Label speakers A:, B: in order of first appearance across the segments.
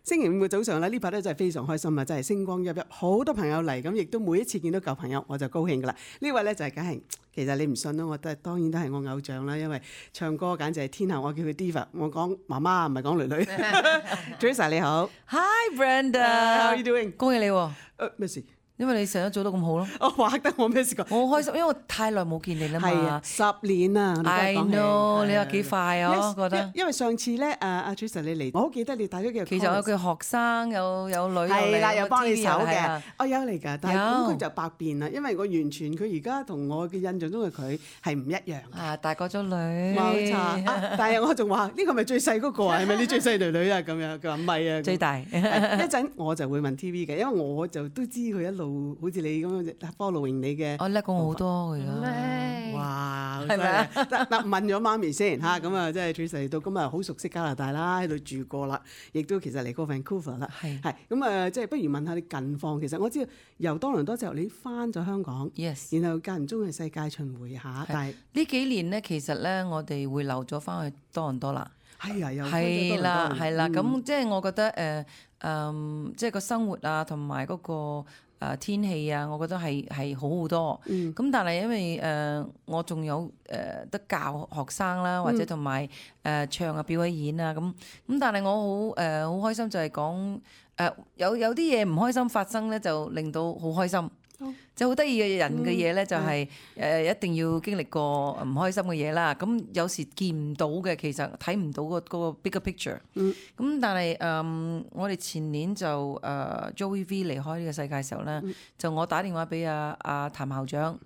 A: 星期五嘅早上咧，呢排咧真係非常開心啊！真係星光熠熠，好多朋友嚟，咁亦都每一次見到舊朋友我就高興噶啦。呢位咧就係梗係，其實你唔信啦，我都係當然都係我偶像啦，因為唱歌簡直係天后，我叫佢 Diva， 我講媽媽唔係講女女。Teresa 你好
B: Hi Brenda，How
A: are you doing？
B: 恭喜你喎！
A: 咩事？
B: 因為你成日做得咁好咯，
A: 哇！得我咩事講？
B: 我好開心，因為我太耐冇見你啦嘛。
A: 係啊，10年啊
B: I know， 你話幾快啊？我覺得。
A: 因為上次咧，阿 Teresa 你嚟，我好記得你帶咗幾個。
B: 其實有個學生有女
A: 係啦，又幫你手嘅
B: 嘅。
A: 我有嚟㗎，但係咁佢就百變啦，因為我完全佢而家同我嘅印象中嘅佢係唔一樣。
B: 啊，大個咗女。
A: 冇錯。但係我仲話呢個咪最細嗰個啊？係咪你最細女女啊？咁樣佢話唔係啊。
B: 最大。
A: 一陣我就會問 TV 嘅，因為我就都知佢一路好似你咁樣 following 你嘅。
B: 我叻過我好多㗎而家。
A: 哇！
B: 係咪啊？
A: 嗱問咗媽咪先嚇，咁啊即係 Teresa 嚟到咁啊好熟悉加拿大啦，喺度住過啦，亦都其實嚟過 Vancouver 啦。係咁啊，即係不如問下你近況。其實我知道由多倫多之後你翻咗香港
B: Yes，
A: 然後間唔中去世界巡迴下，但係
B: 呢幾年咧，其實咧我哋會留咗翻去多倫多啦。
A: 係啊，又
B: 係啦，係啦，咁即係我覺得即係個生活啊，同埋嗰個天氣啊，我覺得係好好多。咁但係因為我仲有得教學生啦，或者同埋唱啊表演啊咁，但係我好開心就係講有啲嘢唔開心發生咧，就令到好開心。即係好得意嘅人嘅嘢咧，就係一定要經歷過唔開心嘅嘢啦。咁有時見唔到嘅，其實睇唔到嗰個 bigger picture。咁但係我哋前年就Joey V 離開呢個世界嘅時候咧，就我打電話俾阿譚校長，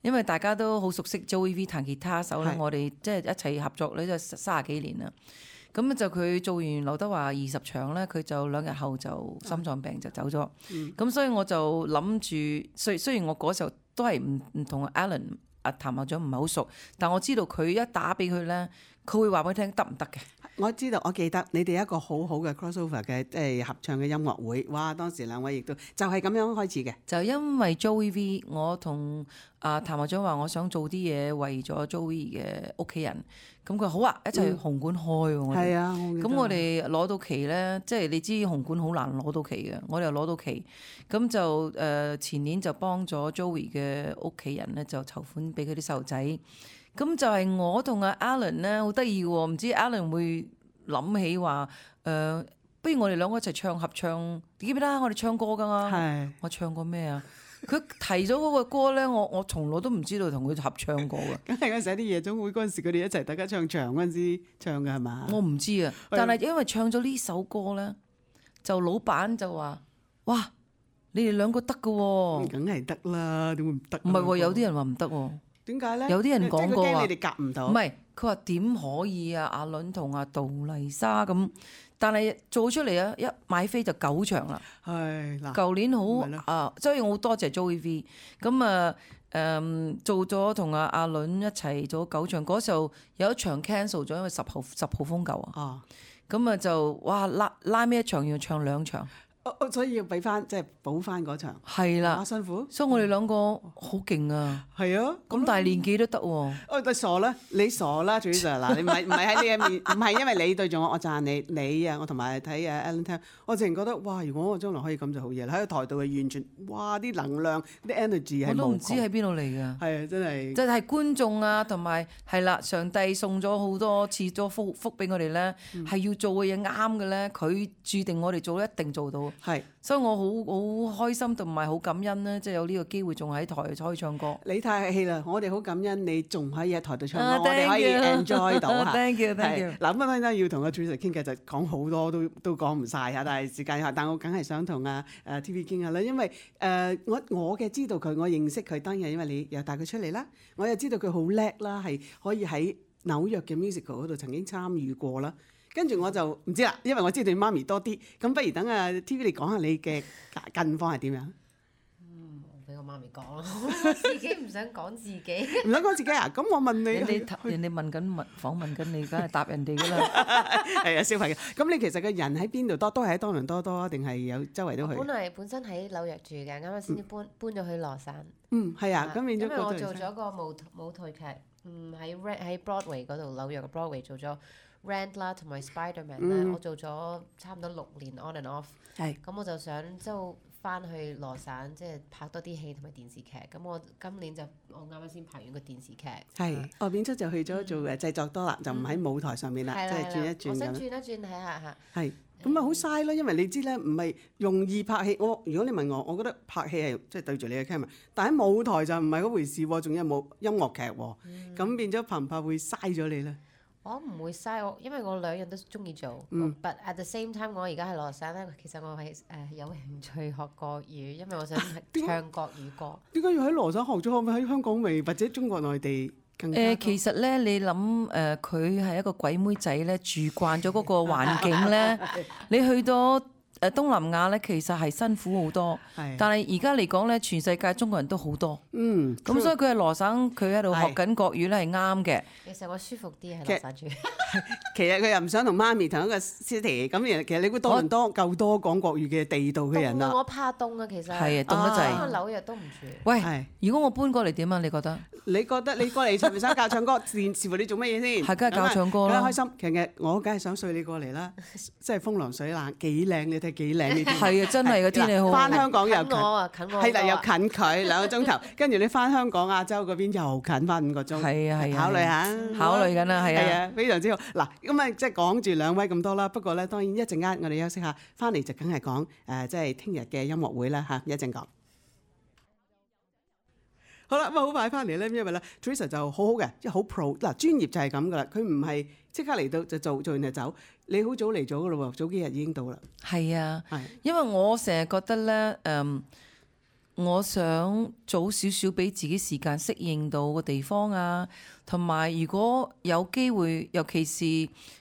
B: 因為大家都好熟悉 Joey V 彈吉他手咧，我哋即係一齊合作咧，就30幾年啦。咁就佢做完劉德華20場咧，佢就2日後就心臟病就走咗。咁所以我就諗住，雖然我嗰時候都係唔同 Alan 譚校長唔係好熟，但我知道佢一打俾佢咧，佢會話俾佢聽得唔得嘅。
A: 我知道，我記得你哋一個好好嘅 crossover 嘅即係合唱嘅音樂會，哇！當時兩位亦都就係咁樣開始嘅。就
B: 因為 Joey V， 我同譚校長話我想做啲嘢為咗 Joey 嘅屋企人，咁佢好啊，一齊去紅館開喎。
A: 係啊，
B: 咁我哋攞到期咧，即係你知紅館好難攞到期嘅，我哋又攞到期，咁就前年就幫咗 Joey 嘅屋企人咧，就籌款俾佢啲細路仔。咁就係我同阿 Alan 咧，好得意喎，唔知 Alan 會諗起話不如我哋兩個一齊唱合唱，記唔記得我哋唱歌噶嘛？
A: 係
B: 我唱過咩啊？佢提咗嗰個歌咧，我從來都唔知道同佢合唱過嘅。
A: 梗係嗰陣時啲夜總會嗰陣時，佢哋一齊大家唱場嗰陣時唱嘅係嘛？
B: 我唔知啊，但係因為唱咗呢首歌咧，就老闆就話：哇，你哋兩個得㗎喎！
A: 梗係得啦，點會唔得？
B: 唔係喎，有啲人話唔得喎。
A: 點解咧？
B: 有啲人講過話
A: 你哋夾唔到。
B: 唔係，佢話點可以啊？阿倫同阿杜麗莎咁，但係做出嚟啊，一買飛就9場啦。
A: 係嗱，
B: 舊年好所以我好多謝 Joey V。咁做咗同阿倫一齊做9場，嗰時候有一場 cancel 咗，因為10號風球啊。咁就哇拉尾一場要唱2場。
A: 所以要俾翻即係補翻嗰場，
B: 係啦，
A: 辛苦。
B: 所以我哋兩個好勁啊！
A: 係啊，
B: 咁大年紀都得喎。
A: 但傻啦，你傻啦，Teresa嗱，你唔係喺呢一面，唔係因為你對住我讚你啊，我同埋睇Alan聽，我淨係覺得哇！如果我將來可以咁就好嘢啦，喺個台度係完全哇啲能量啲 energy 係
B: 我都唔知喺邊度嚟㗎。係
A: 啊，真係。
B: 即係觀眾啊，同埋係啦，上帝送咗好多賜咗福俾我哋咧，係要做嘅嘢啱嘅咧，佢注定我哋做一定做到。
A: 係。
B: 所以我好開心同埋好感恩咧，即係有呢個機會仲喺台可以唱歌。
A: 你太客氣啦，我哋好感恩你仲可以喺台度唱歌，我哋可以 enjoy 到嚇。
B: Thank you。
A: 嗱咁啊，要同阿 Teresa 傾偈就講好多都講唔晒嚇，但係時間有限，但我梗係想同阿TV 傾下啦，因為我嘅知道佢，我認識佢當然因為你又帶佢出嚟啦，我又知道佢好叻啦，係可以喺紐約嘅 musical 嗰度曾經參與過啦。跟住我就唔知啦，因為我知道你媽咪多啲，咁不如等阿 TV 你講下你嘅近況係點樣？
C: 俾我媽咪講咯，我自己唔想講自己。
A: 唔想講自己啊？咁我問你，
B: 人哋問緊訪問緊你，梗係答人哋㗎啦。
A: 係啊，小朋友。咁你其實個人喺邊度多？都係喺多倫多多，定係有周圍都去？
C: 本身喺紐約住嘅，啱啱先至搬咗去羅山。
A: 係啊，咁變咗。
C: 因為我做咗個舞台劇，喺 Broadway 嗰度，紐約嘅 Broadway 做咗 Rent 啦，同埋 Spiderman 咧，我做咗差唔多6年 on and off。
A: 係
C: 咁我就想即係翻去羅省，即係拍多啲戲同埋電視劇。咁我今年我啱啱先拍完個電視劇。
A: 係變咗就去咗做製作多啦，就唔喺舞台上面啦，即係轉一轉
C: 我想
A: 咁。
C: 轉一轉睇下嚇。
A: 係咁啊，好嘥咯，因為你知咧，唔係容易拍戲。如果你問我覺得拍戲係即係對住你嘅 camera，但喺舞台就唔係嗰回事喎，仲有冇音樂劇喎，咁變咗拍唔拍會嘥咗你咧？
C: 我唔會嘥因為我兩樣都中意做。But at the same time，我而家喺羅省咧，其實我係有興趣學國語，因為我想唱國語歌。
A: 點解要喺羅省學咗？可唔可以喺香港未或者中國內地更加多？
B: 其實咧，你諗佢係一個鬼妹仔咧，住慣咗嗰個環境咧，你去到東南亞咧，其實係辛苦好多。
A: 係
B: 但係而家嚟講咧，全世界中國人都好多。咁所以佢喺羅省，佢喺度學緊國語咧係啱嘅。
C: 其實我舒服啲喺羅省住。
A: 其實佢又唔想同媽咪同一個 city，咁其實你估多倫多夠多講國語嘅地道嘅人啦。
C: 我怕凍啊，其實
B: 係啊，凍得滯。
C: 紐約都唔住。
B: 喂，如果我搬過嚟點啊？你覺得？
A: 你覺得你過嚟係咪想教唱歌？視乎你做乜嘢先？
B: 係梗係教唱歌啦。
A: 梗係開心。其實我梗係想睡你過嚟啦，即係風涼水冷，幾靚你睇幾靚呢啲。
B: 係啊，真係個天氣好。
A: 翻香港又近，
C: 近我
A: 係啦，又近佢2個鐘頭，跟住你翻香港亞洲嗰邊又近翻5個鐘。
B: 係啊係啊，
A: 考慮下。
B: 考慮緊啦，係啊。
A: 係啊，非常之好。嗱，咁啊，即係講住兩位咁多啦。不過咧，當然一陣間我哋休息下，翻嚟就梗係講即係聽日嘅音樂會啦嚇，一陣講。好啦，咁啊好快翻嚟咧，因為咧 Teresa 就好好嘅，即係好 pro 嗱，專業就係咁噶啦，佢唔係即刻嚟到就做完就走，你好早嚟咗噶咯喎，早幾日已經到啦。
B: 係啊，因為我成日覺得咧，我想早少少俾自己時間適應到個地方啊，同埋如果有機會，尤其是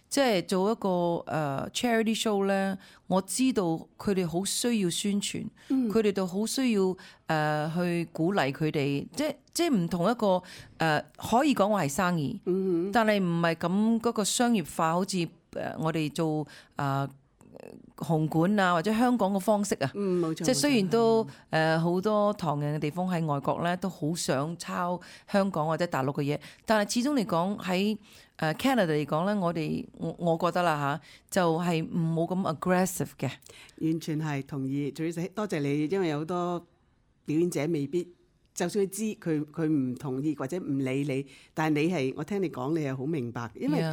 B: 即係做一個charity show 咧，我知道佢哋好需要宣傳，佢哋都好需要去鼓勵佢哋，即係唔同一個可以講我係生意，但係唔係咁嗰個商業化，好似我哋做紅館啊或者香港嘅方式啊，
A: 冇錯。
B: 即係雖然都好多唐人嘅地方喺外國咧，都好想抄香港或者大陸嘅嘢，但係始終嚟講喺Canada 嚟講咧，我覺得啦嚇，就係冇咁 aggressive 嘅。
A: 完全係同意，多謝你，因為有好多表演者未必，就算佢知佢唔同意或者唔理你，但係你係我聽你講，你係好明白，因為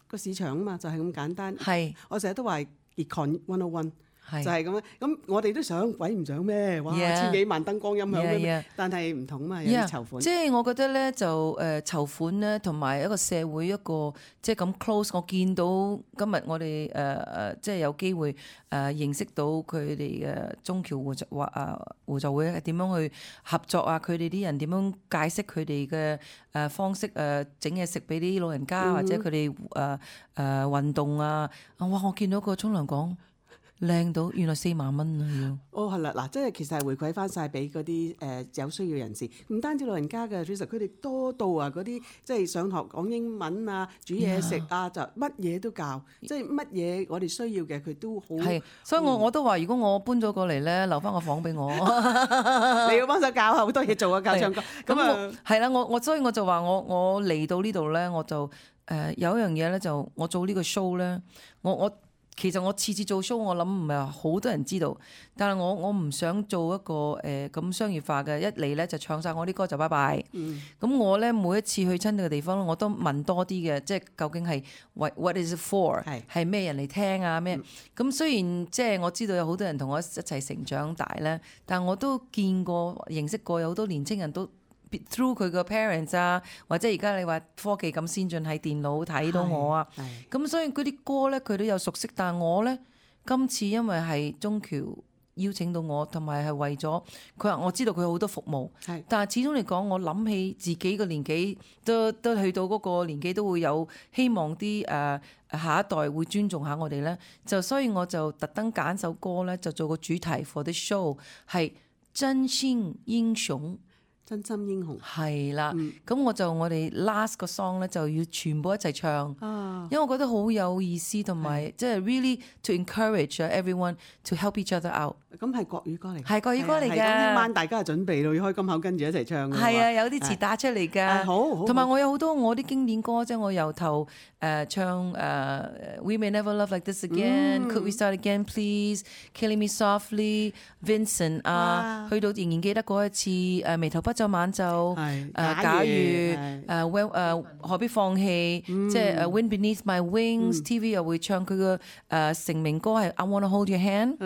A: 個市場啊嘛，就係咁簡單。
B: 係，
A: 我成日都話 Econ 101。就係咁樣，咁我哋都想，鬼唔想咩？哇，千幾萬燈光音響咩？但係唔同嘛，有啲籌款。
B: 即係我覺得咧，就籌款咧，同埋一個社會一個即係咁 close。我見到今日我哋即係有機會認識到佢哋嘅中僑互助會係點樣去合作啊？佢哋啲人點樣解釋佢哋嘅方式整嘢食俾啲老人家，或者佢哋運動啊！哇！我見到個沖涼講。靚到原來4萬蚊啊！要
A: 哦係啦，嗱，即係其實係回饋翻晒俾嗰啲有需要人士，唔單止老人家嘅，其實佢哋多到啊嗰啲即係上學講英文啊、煮嘢食啊，就乜嘢都教，即係乜嘢我哋需要嘅佢都好。
B: 係，所以我都話，如果我搬咗過嚟咧，留翻個房俾我，
A: 你要幫手教下好多嘢做啊，教唱歌。咁啊，
B: 係啦，所以我就話我嚟到呢度咧，我就有一樣嘢咧，就我做呢個 show 咧，其實我次次做 show，我諗唔係好多人知道，但係我唔想做一個咁商業化嘅，一嚟咧就唱晒我啲歌就拜拜。咁我咧每一次去親呢個地方，我都問多啲嘅，即係究竟係 what is it for，係咩人嚟聽啊咩？咁雖然即係我知道有好多人同我一齊成長大咧，但我都見過認識過有好多年青人都。through 佢個 parents 啊，或者而家你話科技咁先進，喺電腦睇到我啊，咁所以嗰啲歌咧佢都有熟悉，但係我咧今次因為係中僑邀請到我，同埋係為咗佢話我知道佢好多服務，但係始終嚟講，我諗起自己個年紀都去到嗰個年紀，都會有希望啲下一代會尊重下我哋咧，就所以我就特登揀首歌咧，就做個主題 for the show 係真心英雄。
A: 真心英雄
B: 係啦，咁我哋 last 個 song 咧就要全部一齊唱，因為我覺得好有意思，同埋即係 really to encourage everyone to help each other out。
A: 咁係國語歌嚟，
B: 係國語歌嚟嘅。
A: 咁聽晚大家就準備到要開金口，跟住一齊唱嘅。
B: 係啊，有啲詞打出嚟㗎。
A: 好，
B: 同埋我有好多我啲經典歌，即係我由頭唱We May Never Love Like This Again，Could We Start Again Please，Killing Me Softly，Vincent 啊，去到仍然記得嗰一次眉頭不皺晚晝，假如何必放棄，即係Wind Beneath My Wings，TV 又會唱佢嘅成名歌係I Wanna Hold Your Hand。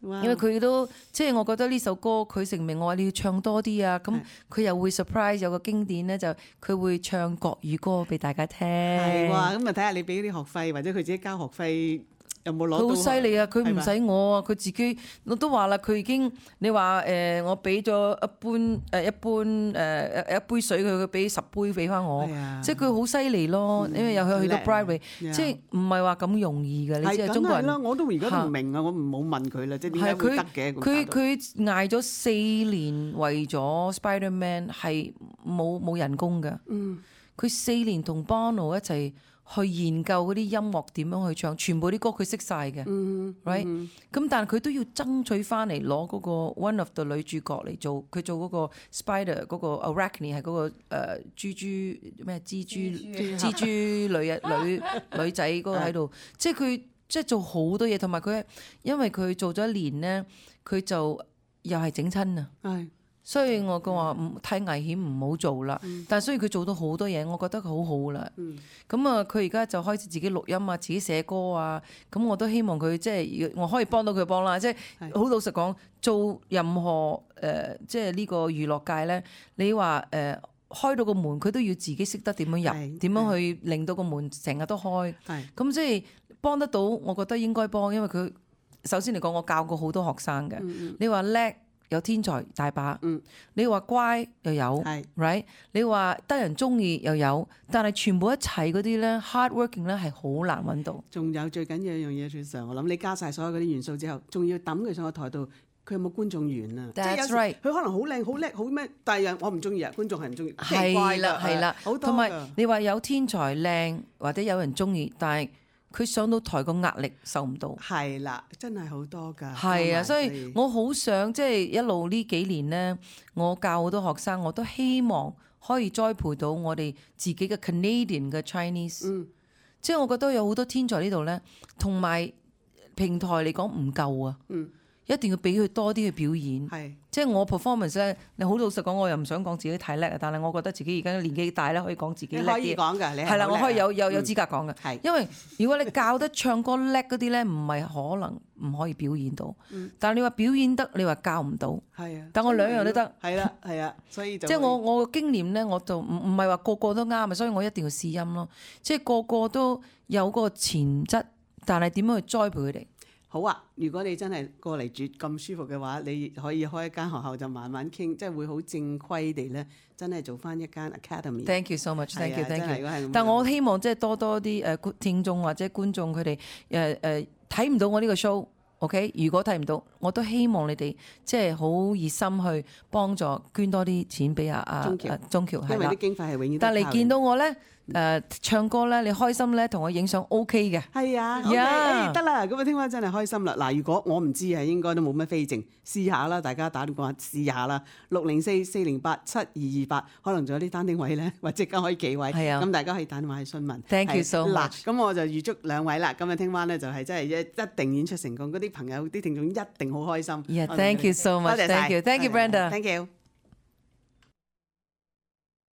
B: 因為佢都即係我覺得呢首歌佢成名，我話你要唱多啲啊，咁佢又會 surprise 有個經典咧，就佢會唱國語歌俾大家聽。
A: 係哇，咁啊睇下你俾啲學費或者佢自己交學費有冇攞到？
B: 佢好犀利啊！佢唔使我啊，佢自己我都話啦，佢已經你話我俾咗一杯水佢俾10杯俾翻我，即係佢好犀利咯。因為又去到 Broadway，即係唔係話咁容易嘅。你知係中國人啦，
A: 我都而家都唔明啊！我唔好問佢啦，即係點解會得嘅？
B: 佢捱咗4年為咗 Spider-Man 係冇人工嘅。佢4年同 Bono 一齊去研究嗰啲音樂點樣去唱，全部啲歌佢識晒嘅，right？咁但係佢都要爭取翻嚟攞嗰個 One of the 女主角嚟做，佢做嗰個 Spider 嗰個 Arachne 係嗰個蜘蛛女仔嗰個喺度，即係佢即係做好多嘢，同埋佢因為佢做咗1年咧，佢就又係整親啊。所以我講話太危險唔好做啦。但係雖然佢做到好多嘢，我覺得佢好好啦。咁啊，佢而家就開始自己錄音啊，自己寫歌啊。咁我都希望佢即係我可以幫到佢幫啦。即係好老實講，做任何即係呢個娛樂界咧，你話開到個門，佢都要自己識得點樣入，點樣去令到個門成日都開。咁即係幫得到，我覺得應該幫，因為佢首先嚟講，我教過好多學生嘅。你話叻？有天才大把，你話乖又有 ，right？ 你話得人中意又有，但係全部一齊嗰啲咧 hard working 咧係好難揾到。
A: 仲有最緊要一樣嘢，最常我諗你加晒所有嗰啲元素之後，仲要抌佢上個台度，佢有冇觀眾緣啊？即係有時佢可能好靚、好叻、好咩，但係我唔中意啊，觀眾係唔中意。
B: 係啦，
A: 好多。
B: 同埋你話有天才靚或者有人中意，但係佢上到台個壓力受唔到。
A: 係啦，真係好多㗎。
B: 係啊，所以我好想即係一路呢幾年咧，我教好多學生，我都希望可以栽培到我哋自己嘅 Canadian 嘅 Chinese。即係我覺得有好多天才呢度咧，同埋平台嚟講唔夠啊。一定要俾佢多啲去表演。即係我 performance 咧，你好老實講，我又唔想講自己太叻啊，但係我覺得自己而家年紀大咧，可以講自己叻啲。
A: 可以講㗎，你
B: 係啦，我可以有資格講嘅。因為如果你教得唱歌叻嗰啲咧，唔係可能唔可以表演到。但係你話表演得，你話教唔到。但我兩樣都得。
A: 係啊，所以就
B: 即係我嘅經驗咧，我就唔係話個個都啱啊，所以我一定要試音咯。即係個個都有個潛質，但係點樣去栽培佢哋？
A: 好啊！如果你真係過嚟住咁舒服嘅話，你可以開一間學校就慢慢傾，即係會好正規地咧，真係做翻一間 academy。Thank
B: you so much, thank you。但我希望即係多啲聽眾或者觀眾佢哋睇唔到我呢個 show。OK， 如果睇唔到，我都希望你哋即係好熱心去幫助捐多啲錢俾鐘橋，
A: 因為啲經費係永遠。
B: 但係你見到我咧唱歌咧，你開心咧，同我影相 OK 嘅。
A: 係啊，得啦，咁啊聽晚真係開心啦。嗱，如果我唔知啊，應該都冇乜飛剩，試下啦，大家打電話試下啦。604-408-7228，可能仲有啲單丁位咧，或者可以幾位。咁大家可以打電話去詢問。
B: Thank you so much。
A: 嗱，咁我就預祝兩位啦。咁啊聽晚咧就係真係一定演出成功，嗰啲朋友啲聽眾一定好開心。
B: Thank you so much。Thank you，Brenda。Thank
A: you。